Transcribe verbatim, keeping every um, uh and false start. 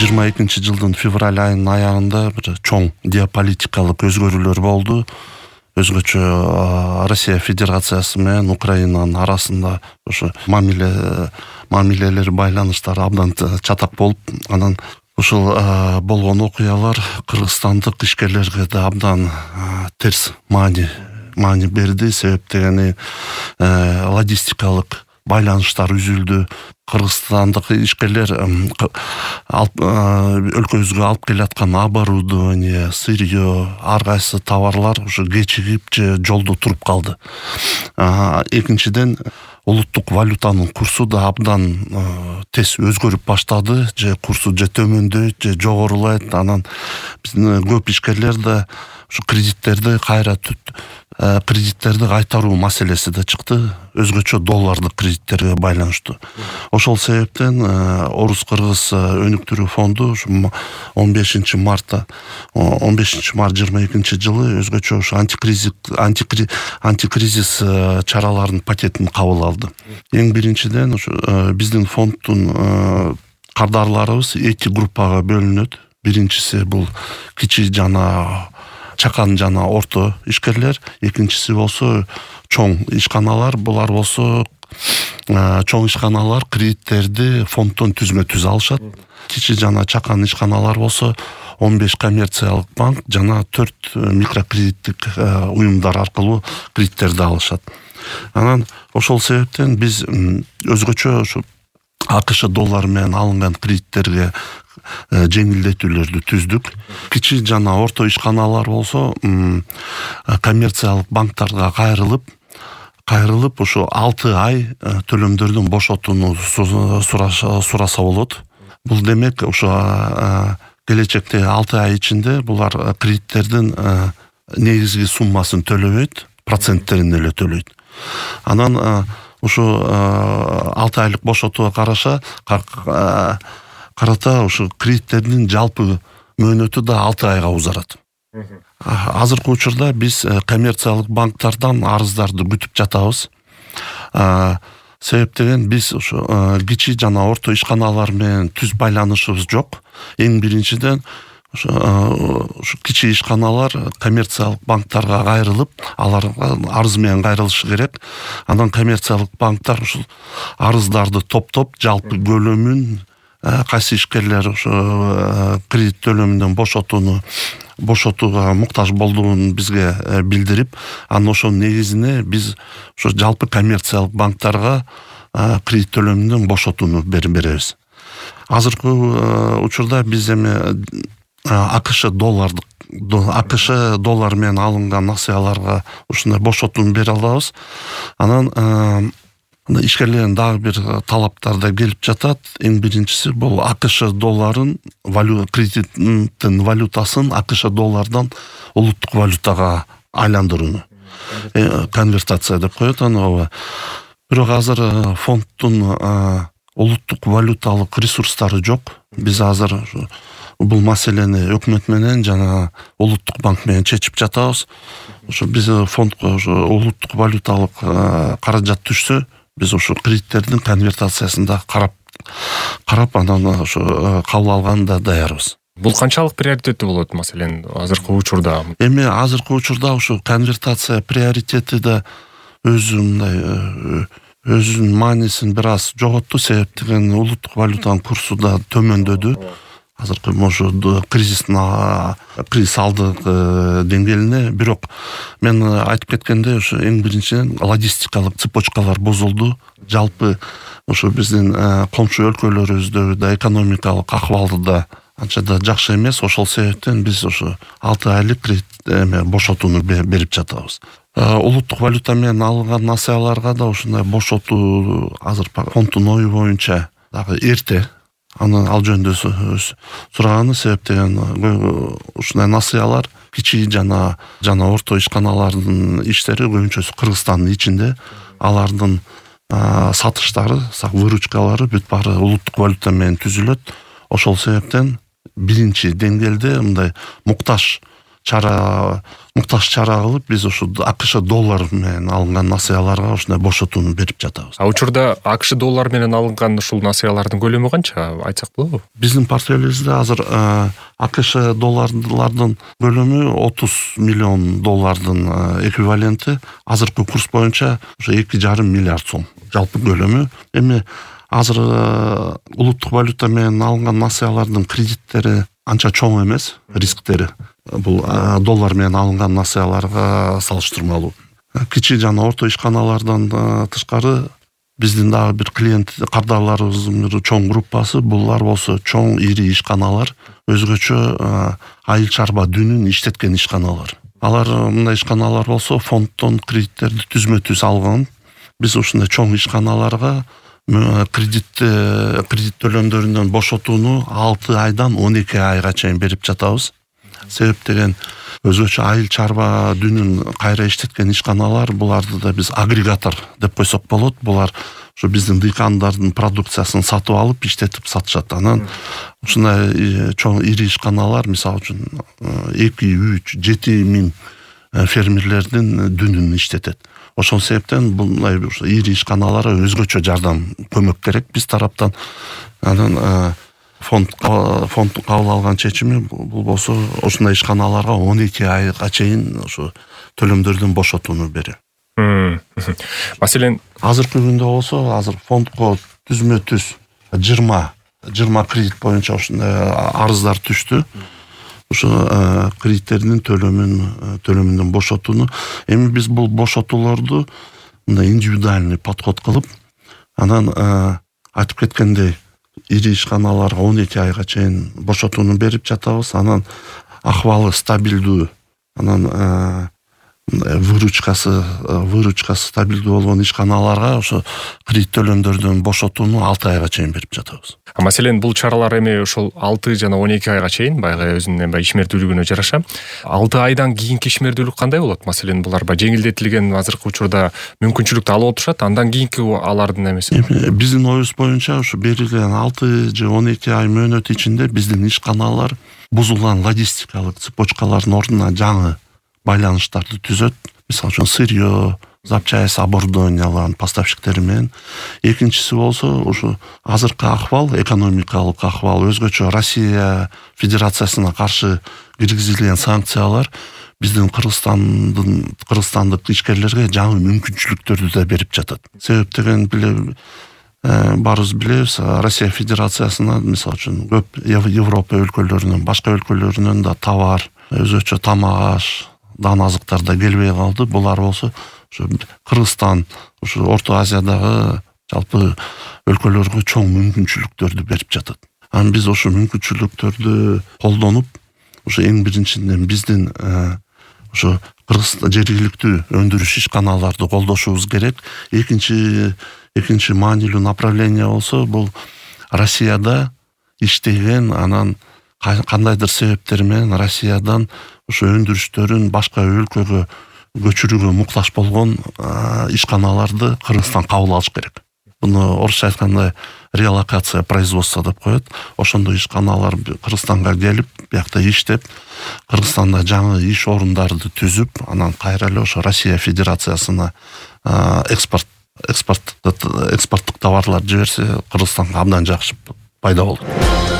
жыйырма экинчи жылдын февраль айынын аягында бир чоң геополитикалык өзгөрүүлөр болду. Өзгөчө Россия Федерациясы менен Украинанын арасында ошо мамиле мамилелер байланыштары абдан чатак болуп, анан ушул болгон окуялар кыргызстандык ишкерлерге да абдан терс маани маани берди. Себеп дегени логистикалык байланыштар үзүлдү. Кыргызстандык ишкерлер өлкөбүзгө алып келаткан оборудование, сырье, ар кайсы товарлар ушу кечигип же жолдо туруп калды. Экинчиден, улуттук валютанын курсу да абдан тез өзгөрүп баштады, же курсу же төмөндөйт, же жогорулайт. Анан биздин көп ишкерлер да ушу кредиттерди кайра кредиттерди кайтаруу маселеси да чыкты, өзгөчө доллардык кредиттерге байланыштуу. Ошол себептен Орус-Кыргыз өнүктүрүү фонду он бешинчи марта он бешинчи март жыйырма экинчи жылы өзгөчө ушу антикризис антикризис чараларынын пакетин кабыл алды. Эң биринчиден ушу биздин фонддун кардарларыбыз эки группага бөлүнөт. Биринчиси бул кичи жана чакан жана орто ишкерлер, экинчиси болсо чоң ишканалар. Булар болсо чоң ишканалар кредиттерди фонддон түзмө-түз алышат. Кичи жана чакан ишканалар болсо он беш коммерциялык банк жана төрт микрокредиттик уюмдар аркылуу кредиттерди алышат. Анан ошол себептен биз өзгөчө ушу АКШ доллары менен алынган кредиттерге жеңилдетүүлөрдү түздүк. Кичи жана орто ишканалар болсо коммерциялык банктарга кайрылып кайрылып ушу алты ай төлөмдөрдүн бошотууну сураса болот. Бул демек ушу келечекте алты ай ичинде булар кредиттердин негизги суммасын төлөбөйт, проценттерин эле төлөйт. Анан ушу алты айлык бошотууга караша карата ушу кредиттердин жалпы мөөнөтү да алты айга узарат. Азыркы учурда биз коммерциялык банктардан арыздарды күтүп жатабыз. Себеп деген биз ушу кичи жана орто ишканалар менен түз байланышыбыз жок. Эң биринчиден ушу кичи ишканалар коммерциялык банктарга кайрылып, аларга арыз менен кайрылышы керек. Андан коммерциялык банктар ушул арыздарды топтоп, жалпы көлөмүн кайсы ишкерлер ошо кредит төлөмүнөн бошотууну бошотууга муктаж болдугун бизге билдирип, анан ошонун негизине биз ошо жалпы коммерциялык банктарга кредит төлөмүнөн бошотууну беребиз. Азыркы учурда биз эми АКШ доллардык АКШ доллар менен алынган акцияларга ушундай бошотууну бере алабыз. Анан ишкерлердин дагы бир талаптары да келип жатат. Эң биринчиси бул АКШ долларын кредиттин валютасын АКШ доллардан улуттук валютага айландырууну. Конвертация деп коет аны. Бирок азыр фонддун улуттук валюталык ресурстары жок. Биз азыр бул маселени өкмөт менен жана улуттук банк менен чечип жатабыз. Ошо биз фондко улуттук валюталык каражат түшсө, биз ошо кредиттердин конвертациясында карап карап анан ошо кабыл алганда даярбыз. Бул канчалык приоритеттүү болот маселен азыркы учурда? Эми азыркы учурда ошо конвертация приоритети да өзүндай өзүнүн маанисин бир аз жоготту. Себеп деген улуттук валютанын курсу да төмөндөдү. Азыркы ошо кризистин кризис алдык деңгээлине. Бирок мен айтып кеткендей, ошо эң биринчиден логистикалык цепочкалар бузулду. Жалпы ошо биздин комшу өлкөлөрүбүздө да экономикалык акыбалды да анча да жакшы эмес. Ошол себептен биз ошо алты айлык кредит эме бошотууну берип жатабыз. Улуттук валюта менен алынган акцияларга да ушундай бошотуу азыр фонддун ою боюнча дагы эрте. Аны ал жөнүндө сураганы себеп деген ушундай акциялар кичи жана жана орто ишканалардын иштери көбүнчөсү Кыргызстандын ичинде. Алардын сатыштары, выручкалары бүт баары улуттук валюта менен түзүлөт. Ошол себептен биринчи деңгээлде мындай муктаж чара муктаж чара кылып биз ушу АКШ доллар менен алынган насыяларга ушундай бошотууну берип жатабыз. А учурда АКШ доллар менен алынган ушул насыялардын көлөмү канча айтсак болобу? Биздин портфелибизде азыр АКШ долларлардын көлөмү отуз миллион доллардын эквиваленти азыркы курс боюнча ушу эки жарым миллиард сом жалпы көлөмү. Эми азыр улуттук валюта менен алынган насыялардын кредиттери анча чоң эмес, рисктери бул доллар менен алынган насыяларга салыштырмалуу. Кичи жана орто ишканалардан тышкары биздин дагы бир клиент кардарларыбыздын бир чоң группасы, булар болсо чоң ири ишканалар, өзгөчө айыл чарба дүнүн иштеткен ишканалар. Алар мындай ишканалар болсо фонддон кредиттерди түзмө-түз алган. Биз ушундай чоң ишканаларга кредит кредит төлөмдөрүнөн бошотууну алты айдан он эки айга чейин берип жатабыз. Себеп деген өзгөчө айыл чарба дүнүн кайра иштеткен ишканалар, буларды да биз агрегатор деп койсок болот. Булар ушу биздин дыйкандардын продукциясын сатып алып иштетип сатышат. Анан ушундай чоң ири ишканалар, мисалы үчүн эки, үч, жети миң фермерлердин дүнүн иштетет. Ошол себептен мындай ири ишканаларга өзгөчө жардам, көмөк керек биз тараптан. Анан фонд фонд кабыл алган чечими бул болсо ушундай ишканаларга он эки айга чейин ошо төлөмдөрдөн бошотууну берет. Маселен, азыркы күндө болсо азыр фондко түзмө-түз жыйырма кредит боюнча ушундай арыздар түштү. Ушу кредиттердин төлөмүн төлөмүндөн бошотууну. Эми биз бул бошотуулорду мындай индивидуальный подход кылып, анан айтып кеткендей ири ишканаларга он эки айга чейин бошотууну берип жатабыз. Анан акыбалы стабилдүү, анан выручкасы выручкасы стабилдүү болгон ишканаларга ошо кредит төлөмдөрдөн бошотууну алты айга чейин берип жатабыз. А маселен, бул чаралар эми ошол алты жана он эки айга чейин баягы өзүнүн ишмердүүлүгүнө жараша. алты айдан кийинки ишмердүүлүк кандай болот? Маселен, булар баягы жеңилдетилген азыркы учурда мүмкүнчүлүктү алып отурушат, андан кийинки алардын эмеси. Биздин оюбуз боюнча ушу берилген алты же он эки ай мөөнөт ичинде биздин ишканалар бузулган логистикалык цепочкалардын ордуна жаңы байланыштарды түзөт. Мисалы үчүн сырьё, запчасть оборудованиялардын поставщиктери менен. Экинчиси болсо ушу азыркы акыбал, экономикалык акыбал, өзгөчө Россия Федерациясына каршы киргизилген санкциялар биздин Кыргызстандын кыргызстандык ишкерлерге жаңы мүмкүнчүлүктөрдү да берип жатат. Себеп деген биле баарыбыз билебиз, Россия Федерациясына мисалы үчүн көп Европа өлкөлөрүнөн, башка өлкөлөрүнөн да товар, өзгөчө тамак аш, дан азыктар да келбей калды. Булар болсо ушу Кыргызстан, ушу Орто Азиядагы жалпы өлкөлөргө чоң мүмкүнчүлүктөрдү берип жатат. Анан биз ошо мүмкүнчүлүктөрдү колдонуп, ушу эң биринчиден биздин ошо Кыргызстан жергиликтүү өндүрүш ишканаларды колдошубуз керек. Экинчи экинчи маанилүү направление болсо бул Россияда иштеген, анан кандайдыр себептер менен Россиядан ошо өндүрүштөрүн башка өлкөгө көчүрүүгө муктаж болгон ишканаларды Кыргызстан кабыл алыш керек. Буну орусча айтканда релокация производства деп коет. Ошондой ишканалар Кыргызстанга келип, биякта иштеп, Кыргызстанда жаңы иш орундарды түзүп, анан кайра эле ошо Россия Федерациясына экспорт экспорт экспорттук товарлар жиберсе, Кыргызстанга абдан жакшы пайда болот.